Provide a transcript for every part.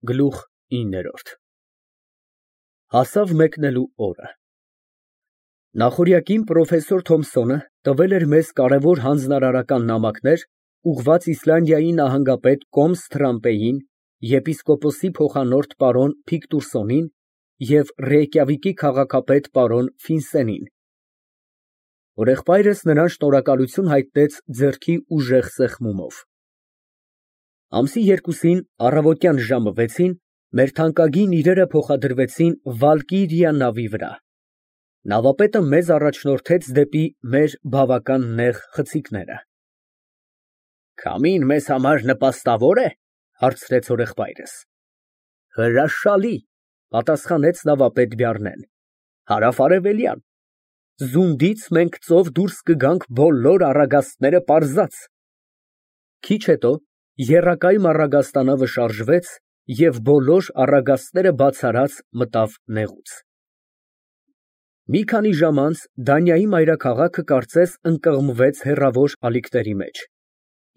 Գլուխ 9 Հասավ մեկնելու օրը։ Նախօրյակին պրոֆեսոր Թոմսոնը տվել էր մեզ կարևոր հանձնարարական նամակներ, ուղղված Իսլանդիայի նահանգապետ Կոմս Թրամպեին, եպիսկոպոսի փոխանորդ պարոն Ֆիկտուրսոնին և Ռեյկյավիկի քաղաքապետ պարոն Ֆինսենին։ Հորեղբայրս նրան շնորհակալություն հայտնեց ձեռքի ուժեղ սեղմումով։ Ամսի 2-ին առավոտյան ժամը 6-ին մեր թանկագին իրերը փոխադրվեցին Վալկիրիա նավի վրա։ Նավապետը մեզ առաջնորդեց դեպի մեր բավական նեղ խցիկները։ Քամին մեզ համար նպաստավո՞ր է, հարցրեց հորեղբայրս։ Հրաշալի, պատասխանեց նավապետ Բյառնեն, հարավարևելյան, զունդից մենք ծով դուրս կգանք բոլոր առագաստները պարզած։ Քիչ հետո եռակայմ առագաստանավը շարժվեց և բոլոր առագաստները բացառած մտավ նեղուց։ Մի քանի ժամ անց Դանիայի մայրաքաղաքը կարծես ընկղմվեց հեռավոր ալիքների մեջ,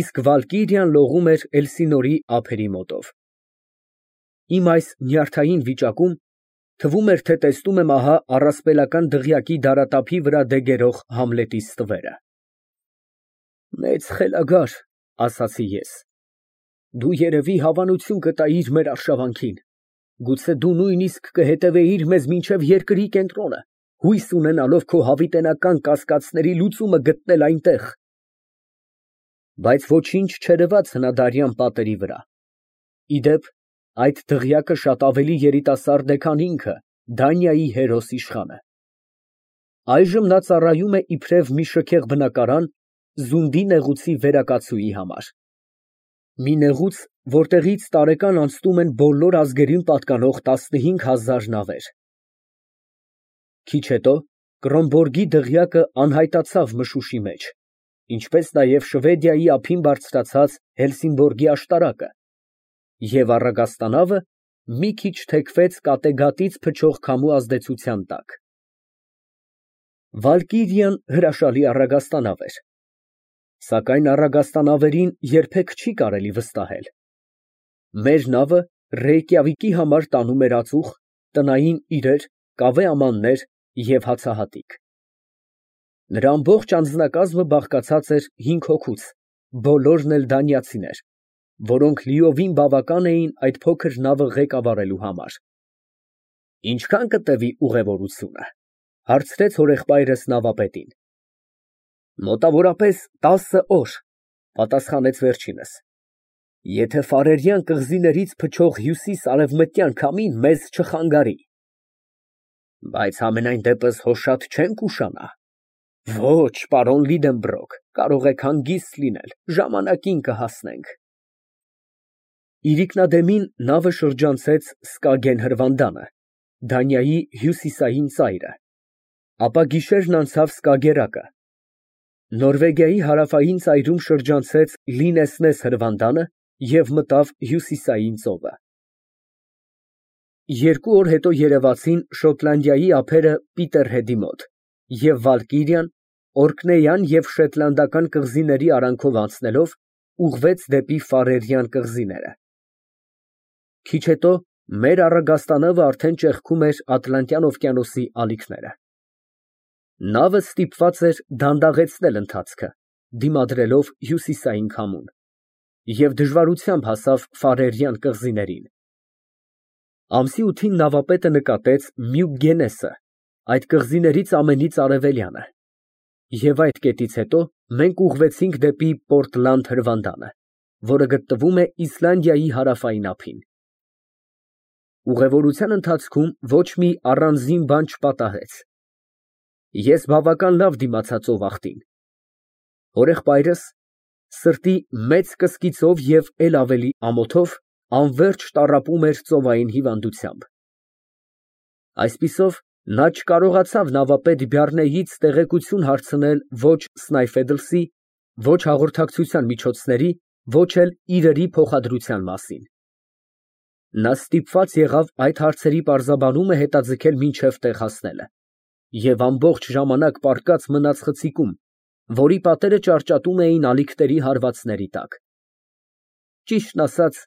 իսկ Վալկիրիան լողում էր Էլսինորի ափերի մոտով։ Իմ այս նյարդային վիճակում թվում էր, թե տեսնում եմ ահա առասպելական դղյակի դարատափի վրա դեգերող Համլետի ստվերը։ Մեծ խելագար, ասացի ես, դու երևի հավանություն կտայիր մեր արշավանքին, գուցե դու նույնիսկ կհետևեիր մեզ մինչև երկրի կենտրոնը, հույս ունենալով քո հավիտենական կասկածների լուծումը գտնել այնտեղ։ Բայց ոչինչ չերևաց հնադարյան պատերի վրա։ Ի դեպ, այդ դղյակը շատ ավելի երիտասարդ է, քան ինքը, Դանիայի հերոս իշխանը։ Այժմ նա ծառայում է իբրև մի շքեղ բնակարան զունդի նեղուցի վերակացուի համար։ Մի նեղուց, որտեղից տարեկան անցնում են բոլոր ազգերին պատկանող 15000 նավեր։ Քիչ հետո Կրոնբորգի դղյակը անհայտացավ մշուշի մեջ, ինչպես նաև Շվեդիայի ափին բարձրացած Հելսինբորգի աշտարակը, և առագաստանավը մի քիչ թեքվեց կատեգատից փչող քամու ազդեցության տակ։ Վալկիրիան հրաշալի առագաստանավ էր, սակայն առագաստանավերին երբեք չի կարելի վստահել։ Մեր նավը Ռեյկյավիկի համար տանում էր ածուխ, տնային իրեր, կավե ամաններ և հացահատիկ։ Նրա ամբողջ անձնակազմը բաղկացած էր 5 հոգուց, բոլորն էլ դանիացիներ, որոնք լիովին բավական էին այդ փոքր նավը ղեկավարելու համար։ Ինչքան կտևի ուղևորությունը, հարցրեց հորեղբայրս նավապետին։ Մոտավորապես 10 օր, պատասխանեց վերջինս, եթե Ֆարերյան կղզիներից փչող հյուսիս֊արևմտյան քամին մեզ չխանգարի։ Բայց համենայն դեպս հո շատ չենք ուշանա։ Ոչ, պարոն Լիդենբրոկ, կարող եք հանգիստ լինել, ժամանակին կհասնենք։ Իրիկնադեմին նավը շրջանցեց Սկագեն հրվանդանը, Դանիայի հյուսիսային ծայրը, ապա գիշերն անցավ Սկագերակը, Նորվեգիայի հարավային ծայրում շրջանցեց Լինեսնես հրվանդանը և մտավ հյուսիսային ծովը։ 2 օր հետո երևացին Շոտլանդիայի ափերը Պիտերհեդի մոտ, և Վալկիրիան, Օրկնեյան և Շետլանդական կղզիների արանքով անցնելով, ուղղվեց դեպի Ֆարերյան կղզիները։ Քիչ հետո մեր առագաստանավը արդեն ճեղքում էր Ատլանտյան օվկիանոսի ալիքները։ Նավը ստիպված էր դանդաղեցնել ընթացքը, դիմադրելով հյուսիսային քամուն, և դժվարությամբ հասավ Ֆարերյան կղզիներին։ Ամսի 8-ին նավապետը նկատեց Մյուգգենեսը, այդ կղզիներից ամենից արևելյանը, և այդ կետից հետո մենք ուղղվեցինք դեպի Պորտլանդ հրվանդանը, որը գտնվում է Իսլանդիայի հարավային ափին։ Ուղևորության ընթացքում ոչ մի առանձին բան չպատահեց։ Ես բավական լավ դիմացա ծովախտին։ Հորեղբայրս սրտի մեծ կսկիծով և էլ ավելի ամոթով անվերջ տառապում էր ծովային հիվանդությամբ։ Այսպիսով, նա չկարողացավ նավապետ Բյառնեից տեղեկություն հարցնել ոչ Սնայֆեդլսի, ոչ հաղորդակցության միջոցների, ոչ էլ իրերի փոխադրության մասին։ Նա ստիպված եղավ այդ հարցերի պարզաբանումը հետաձգել մինչև տեղ հասնելը, և ամբողջ ժամանակ պառկած մնաց խցիկում, որի պատերը ճարճատում էին ալիքների հարվածների տակ։ Ճիշտն ասած,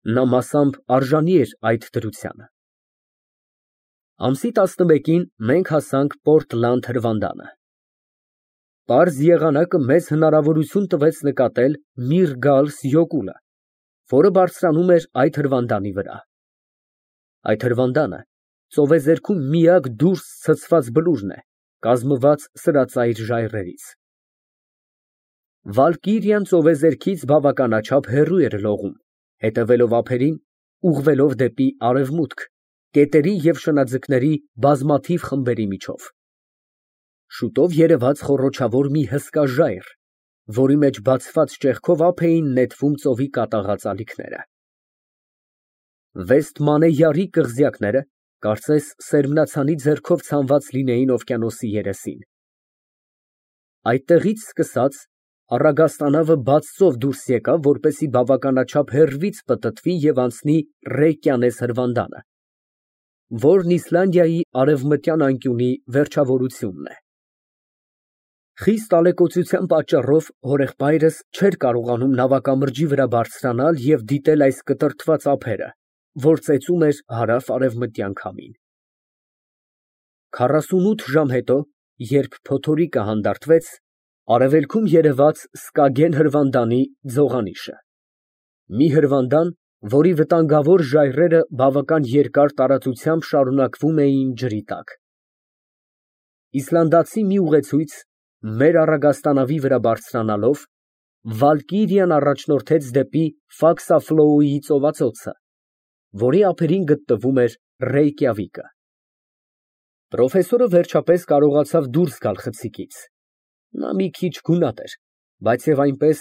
Նա մասամբ արժանի էր այդ դրությանը։ Ամսի 11-ին մենք հասանք Պորտլանդ հրվանդանը։ Պարզ եղանակը մեզ հնարավորություն տվեց նկատել Միրգալս յոկուլը, որը բարձրանում էր այդ հրվանդանի վրա։ Այդ հրվանդանը ծովեզերքում միակ դուրս ցցված բլուրն է, կազմված սրածայր ժայռերից։ Վալկիրիան ծովեզերքից բավականաչափ հեռու էր լողում, հետևելով ափերին, ուղղվելով դեպի արևմուտք, կետերի և շնաձկների բազմաթիվ խմբերի միջով։ Շուտով երևաց խոռոչավոր մի հսկա ժայռ, որի մեջ բացված ճեղքով ափ էին նետվում ծովի կատաղած ալիքները։ Վեստմանեյարի կղզյակները կարծես սերմնացանի ձեռքով ցանված լինեին օվկիանոսի երեսին։ Այդտեղից սկսած առագաստանավը բաց ծով դուրս եկավ, որպեսզի բավականաչափ հեռվից պտտվի և անցնի Ռեյկյանես հրվանդանը, որն Իսլանդիայի արևմտյան անկյունի վերջավորությունն է։ Խիստ ալեկոծության պատճառով հորեղբայրս չէր կարողանում նավակամրջի վրա բարձրանալ և դիտել այս կտրտված ափերը, որ ծեծում էր հարավ֊արևմտյան քամին։ 48 ժամ հետո, երբ փոթորիկը հանդարտվեց, արևելքում երևաց Սկագեն հրվանդանի ձողանիշը, մի հրվանդան, որի վտանգավոր ժայռերը բավական երկար տարածությամբ շարունակվում էին ջրի տակ։ Իսլանդացի մի ուղեցույց, մեր առագաստանավի վրա բարձրանալով, Վալկիրիան առաջնորդեց դեպի Ֆաքսաֆլոուի ծովածոցը, որի ափերին գտնվում էր Ռեյկյավիկը։ Պրոֆեսորը վերջապես կարողացավ դուրս գալ խցիկից։ Նա մի քիչ գունատ էր, բայց և այնպես,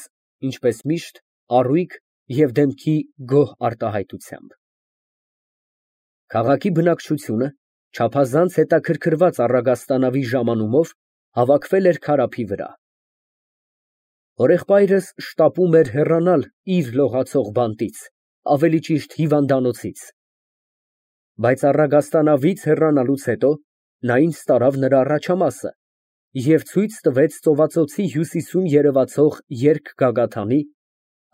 ինչպես միշտ, առույգ և դեմքի գոհ արտահայտությամբ։ Քաղաքի բնակչությունը, չափազանց հետաքրքրված առագաստանավի ժամանումով, հավաքվել էր քարափի վրա։ Հորեղբայրս շտապում էր հեռանալ իր լողացող բանտից, ավելի ճիշտ հիվանդանոցից։ Բայց առագաստանավից հեռանալուց հետո նա ինձ տարավ նրա առաջամասը և ցույց տվեց ծովածոցի հյուսիսում երևացող երկգագաթանի,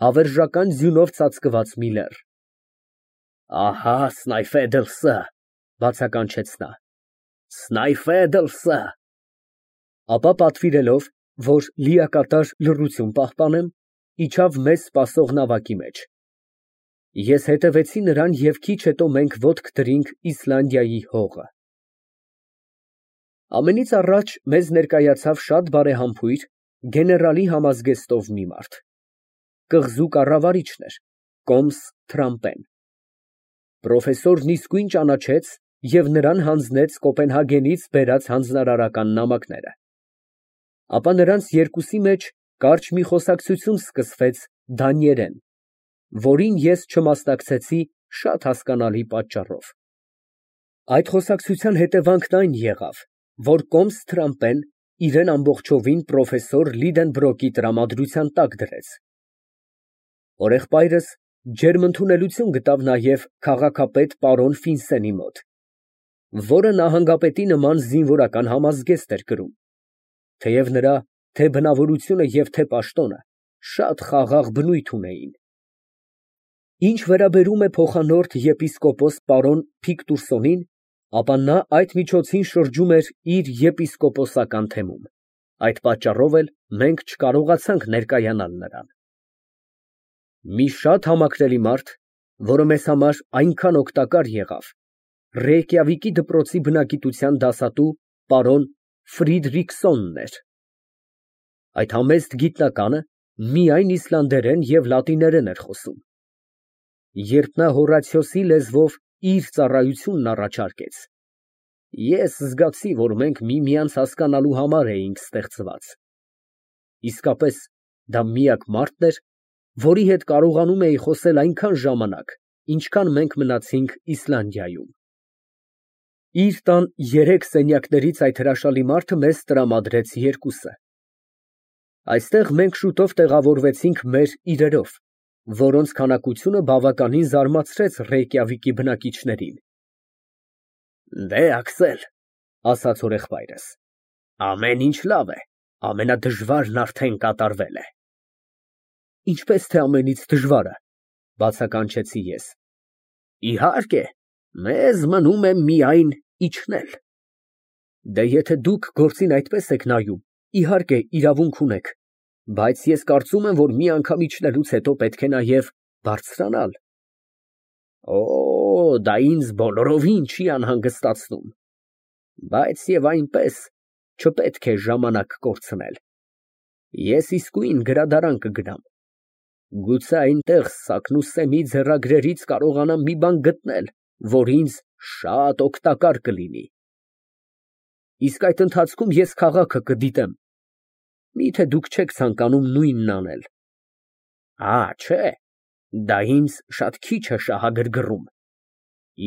հավերժական ձյունով ծածկված մի լեռ։ Ահա Սնայֆեդլսը, բացականչեց նա, Սնայֆեդլսը։ Ապա պատվիրելով, որ լիակատար լռություն պահպանեմ, իջավ մեզ սպասող նավակի մեջ։ Ես հետևեցի նրան և քիչ հետո մենք ոտք դրինք Իսլանդիայի հողը։ Ամենից առաջ մեզ ներկայացավ շատ բարեհամբույր, գեներալի համազգեստով մի մարդ։ Կղզու կառավարիչն էր, կոմս Թրամպեն։ Պրոֆեսորն իսկույն ճանաչեց և նրան հանձնեց Կոպենհագենից բերած հանձնարարական նամակները։ Ապա նրանց երկուսի մեջ կարճ մի խոսակցություն սկսվեց դանիերեն, որին ես չմասնակցեցի շատ հասկանալի պատճառով։ Այդ խոսակցության հետևանքն այն եղավ, որ կոմս Թրամպեն իրեն ամբողջովին պրոֆեսոր Լիդենբրոկի տրամադրության տակ դրեց։ Հորեղբայրս ջերմ ընդունելություն գտավ նաև քաղաքապետ պարոն Ֆինսենի մոտ, որը նահանգապետի նման զինվորական համազգեստ էր կրում, թեև նրա թե բնավորությունը և թե պաշտոնը շատ խաղաղ բնույթ ունեին։ Ինչ վերաբերում է փոխանորդ եպիսկոպոս պարոն Փիկտուրսոնին, ապա նա այդ միջոցին շրջում էր իր եպիսկոպոսական թեմում, այդ պատճառով էլ մենք չկարողացանք ներկայանալ նրան։ Մի շատ համակրելի մարդ, որը մեզ համար այնքան օգտակար եղավ, Ռեյկյավիկի դպրոցի բնագիտության դասատու պարոն Ֆրիդրիքսոնն էր։ Այդ համեստ գիտնականը միայն իսլանդերեն և լատիներեն էր խոսում։ Երբ նա Հորացիոսի լեզվով իր ծառայությունն առաջարկեց, ես զգացի, որ մենք միմյանց հասկանալու համար էինք ստեղծված։ Իսկապես, դա միակ մարդն էր, որի հետ կարողանում էի խոսել այնքան ժամանակ, ինչքան մենք մնացինք Իսլանդիայում։ Իր տան 3 սենյակներից այդ հրաշալի մարդը մեզ տրամադրեց երկուսը։ Այստեղ մենք շուտով տեղավորվեցինք մեր իրերով, որոնց քանակությունը բավականին զարմացրեց Ռեյկյավիկի բնակիչներին։ Դե, Աքսել, ասաց հորեղբայրս, ամեն ինչ լավ է, ամենադժվարն արդեն կատարվել է։ Ինչպես թե ամենից դժվարը, Բացականչեցի ես։ Իհարկե, մեզ մնում է միայն իջնել։ Դե եթե դուք գործին այդպես եք նայում, իհարկե, իրավունք ունեք, բայց ես կարծում եմ, որ մի անգամ իջնելուց հետո պետք է նաև բարձրանալ։ Օ, դա ինձ բոլորովին չի անհանգստացնում, բայց եւ այնպես չպետք է ժամանակ կորցնել։ Ես իսկույն գրադարան կգնամ։ Գուցե այնտեղ Սակնուսսեմի ձեռագրերից կարողանամ մի բան գտնել, որ ինձ շատ օգտակար կլինի։ Իսկ այդ ընթացքում ես քաղաքը կդիտեմ։ Միթե դուք չեք ցանկանում նույնն անել։ Չէ, դա ինձ շատ քիչ է շահագրգռում։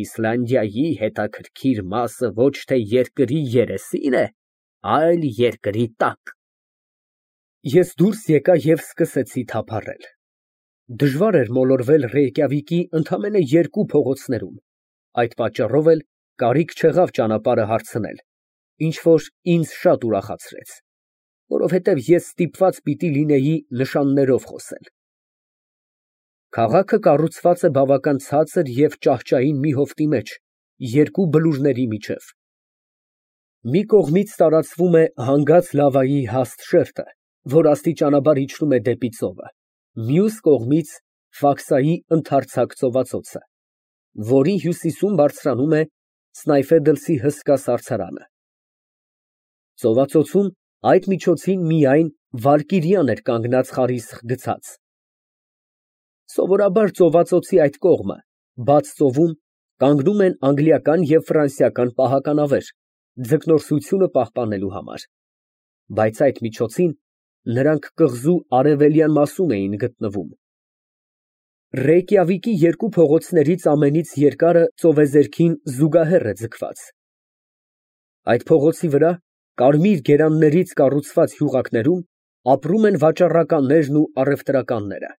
Իսլանդիայի հետաքրքիր մասը ոչ թե երկրի երեսին է, այլ երկրի տակ։ Ես դուրս եկա և սկսեցի թափառել։ Դժվար էր մոլորվել Ռեյկյավիկի ընդամենը 2 փողոցներում, այդ պատճառով էլ կարիք չեղավ ճանապարհը հարցնել, ինչ որ ինձ շատ ուրախացրեց, որովհետև ես ստիպված պիտի լինեի նշաններով խոսել։ Քաղաքը կառուցված է բավական ցածր և ճահճային մի հովտի մեջ, 2 բլուրների միջև։ Մի կողմից տարածվում է հանգած լավայի հաստ շերտը, որ աստիճանաբար իջնում է դեպի ծովը, մյուս կողմից Ֆաքսայի ընդարձակ ծովածոցը, որի հյուսիսում բարձրանում է Սնայֆեդլսի հսկա սառցարանը։ Ծովածոցում այդ միջոցին միայն Վալկիրիան էր կանգնած խարիսխ գցած։ Սովորաբար ծովածոցի այդ կողմը, բաց ծովում, կանգնում են անգլիական և ֆրանսիական պահականավեր, ձկնորսությունը պահպանելու համար, բայց այդ միջոցին նրանք կղզու արևելյան մասում էին գտնվում։ Ռեյկյավիկի 2 փողոցներից ամենից երկարը ծովեզերքին զուգահեռ է ձգված։ Այդ փողոցի վրա, կարմիր գերաններից կառուցված հյուղակներում, ապրում են վաճառականներն ու առևտրականները։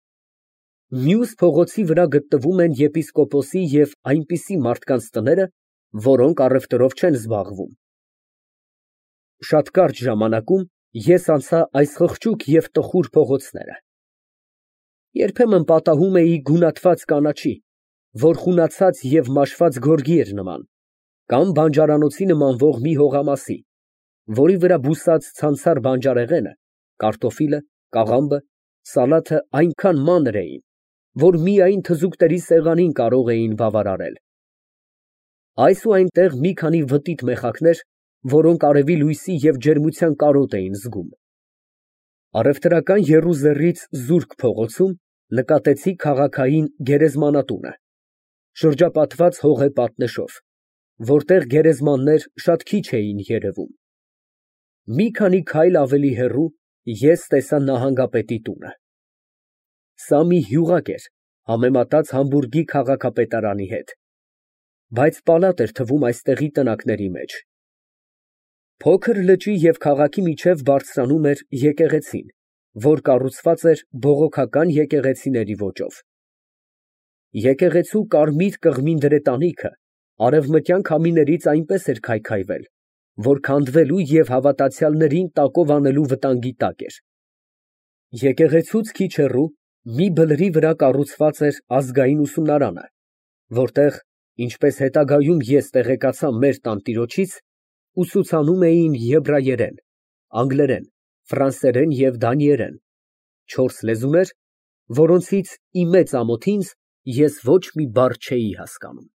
Մյուս փողոցի վրա գտնվում են եպիսկոպոսի և այնպիսի մարդկանց տները, որոնք առևտրով չեն զբաղվում։ Շատ կարճ ժամանակում ես անցա այս խղճուկ և տխուր փողոցները։ Երբեմն պատահում էի գունատված կանաչի, որ խունացած և մաշված գորգի էր նման, կամ բանջարանոցի նմանվող մի հողամասի, որի վրա բուսած ցանցառ բանջարեղենը, կարտոֆիլը, կաղամբը, սալաթը այնքան մանր էին, որ միայն թզուկների սեղանին կարող էին բավարարել։ Այս ու այնտեղ մի քանի վտիտ մեխակներ, որոնք արևի լույսի և ջերմության կարոտ էին զգում։ Առևտրական եռուզեռից զուրկ փողոցում նկատեցի քաղաքային գերեզմանատունը, շրջապատված հողե պատնեշով, որտեղ գերեզմաններ շատ քիչ էին երևում։ Մի քանի քայլ ավելի հեռու ես տեսա նահանգապետի տունը։ Սա մի հյուղակ էր, համեմատած Համբուրգի քաղաքապետարանի հետ, բայց պալատ էր թվում այստեղի տնակների մեջ։ Փոքր լճի և քաղաքի միջև բարձրանում էր եկեղեցին, որ կառուցված էր բողոքական եկեղեցիների ոճով։ Եկեղեցու կարմիր կղմին դրետանիքը արևմտյան քամիներից այնպես էր քայքայվել, որ քանդվելու և հավատացյալներին տակով անելու վտանգի տակ էր։ Եկեղեցուց քիչ հեռու մի բլրի վրա կառուցված էր ազգային ուսումնարանը, որտեղ, ինչպես հետագայում ես տեղեկացա մեր տանտիրոջից, ուսուցանում էին եբրայերեն, անգլերեն, ֆրանսերեն և դանիերեն, 4 լեզուներ, որոնցից ի մեծ ամոթ ինձ ես ոչ մի բառ չէի հասկանում։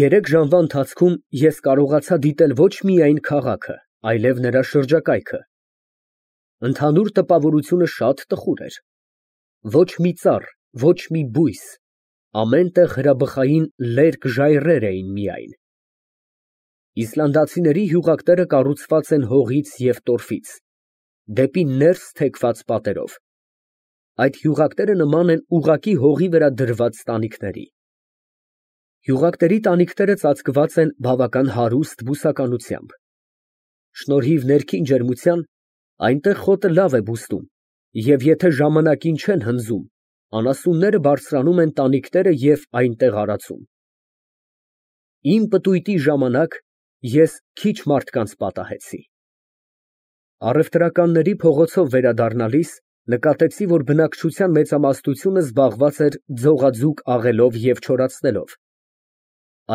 3 ժամվա ընթացքում ես կարողացա դիտել ոչ միայն քաղաքը, այլև նրա շրջակայքը։ Ընդհանուր տպավորությունը շատ տխուր էր։ Ոչ մի ծառ, ոչ մի բույս, ամեն տեղ հրաբխային լերկ ժայռեր էին միայն։ Իսլանդացիների հյուղակները կառուցված են հողից և տորֆից, դեպի ներս թեքված պատերով։ Այդ հյուղակները նման են ուղղակի հողի վրա դրված տանիքների։ Հյուղակների տանիքները ծածկված են բավական հարուստ բուսականությամբ։ Շնորհիվ ներքին ջերմության, այնտեղ խոտը լավ է բուստում, և եթե ժամանակին չեն հնձում, անասունները բարձրանում են տանիքները և այնտեղ արածում։ Իմ պտույտի ժամանակ ես քիչ մարդկանց պատահեցի։ Առևտրականների փողոցով վերադառնալիս Նկատեցի, որ բնակչության մեծամասնությունը զբաղված էր ձողաձուկ աղելով և չորացնելով։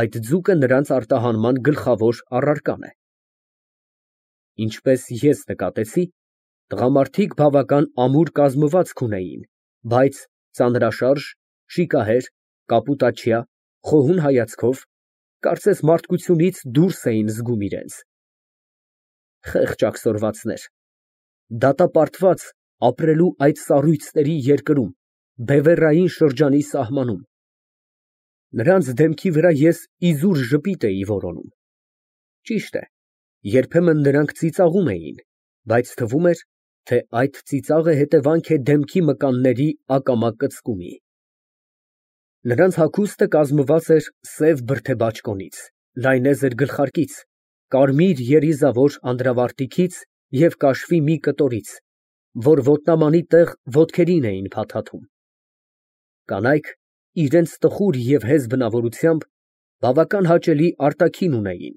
Այդ ձուկը նրանց արտահանման գլխավոր առարկան է։ Ինչպես ես նկատեցի, տղամարդիկ բավական ամուր կազմվածք ունեին, բայց ծանրաշարժ, շիկահեր, կապուտաչյա, խոհուն հայացքով, կարծես մարդկությունից դուրս էին զգում իրենց։ Խեղճ աքսորվածներ, դատապարտված ապրելու այդ սառույցների երկրում, բևեռային շրջանի սահմանում։ Նրանց դեմքի վրա ես իզուր ժպիտ էի որոնում։ Ճիշտ է, երբեմն նրանք ծիծաղում էին, բայց թվում էր, թե այդ ծիծաղը հետևանք է դեմքի մկանների ակամա կծկումի։ Նրանց հագուստը կազմված էր սև բրդե-բաճկոնից, լայնեզր գլխարկից, կարմիր երիզավոր անդրավարտիքից և կաշվի մի կտորից, որ ոտնամանի տեղ ոտքերին էին փաթաթում։ Կանայք, իրենց տխուր և հեզ բնավորությամբ, բավական հաճելի արտաքին ունեին։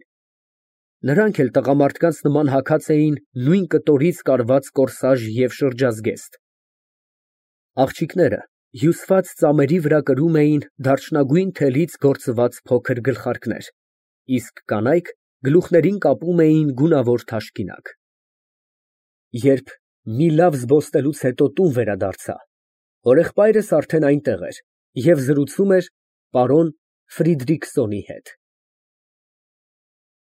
Նրանք էլ տղամարդկանց նման հագած էին նույն կտորից կարված կորսաժ և շրջազգեստ։ Աղջիկները հյուսված ծամերի վրա կրում էին դարչնագույն թելից գործված փոքր գլխարկներ, իսկ կանայք գլուխներին կապում էին գունավոր թաշկինակ։ Երբ մի լավ զբոսնելուց հետո տուն վերադարձա, հորեղբայրս արդեն այնտեղ էր և զրուցում էր պարոն Ֆրիդրիքսոնի հետ։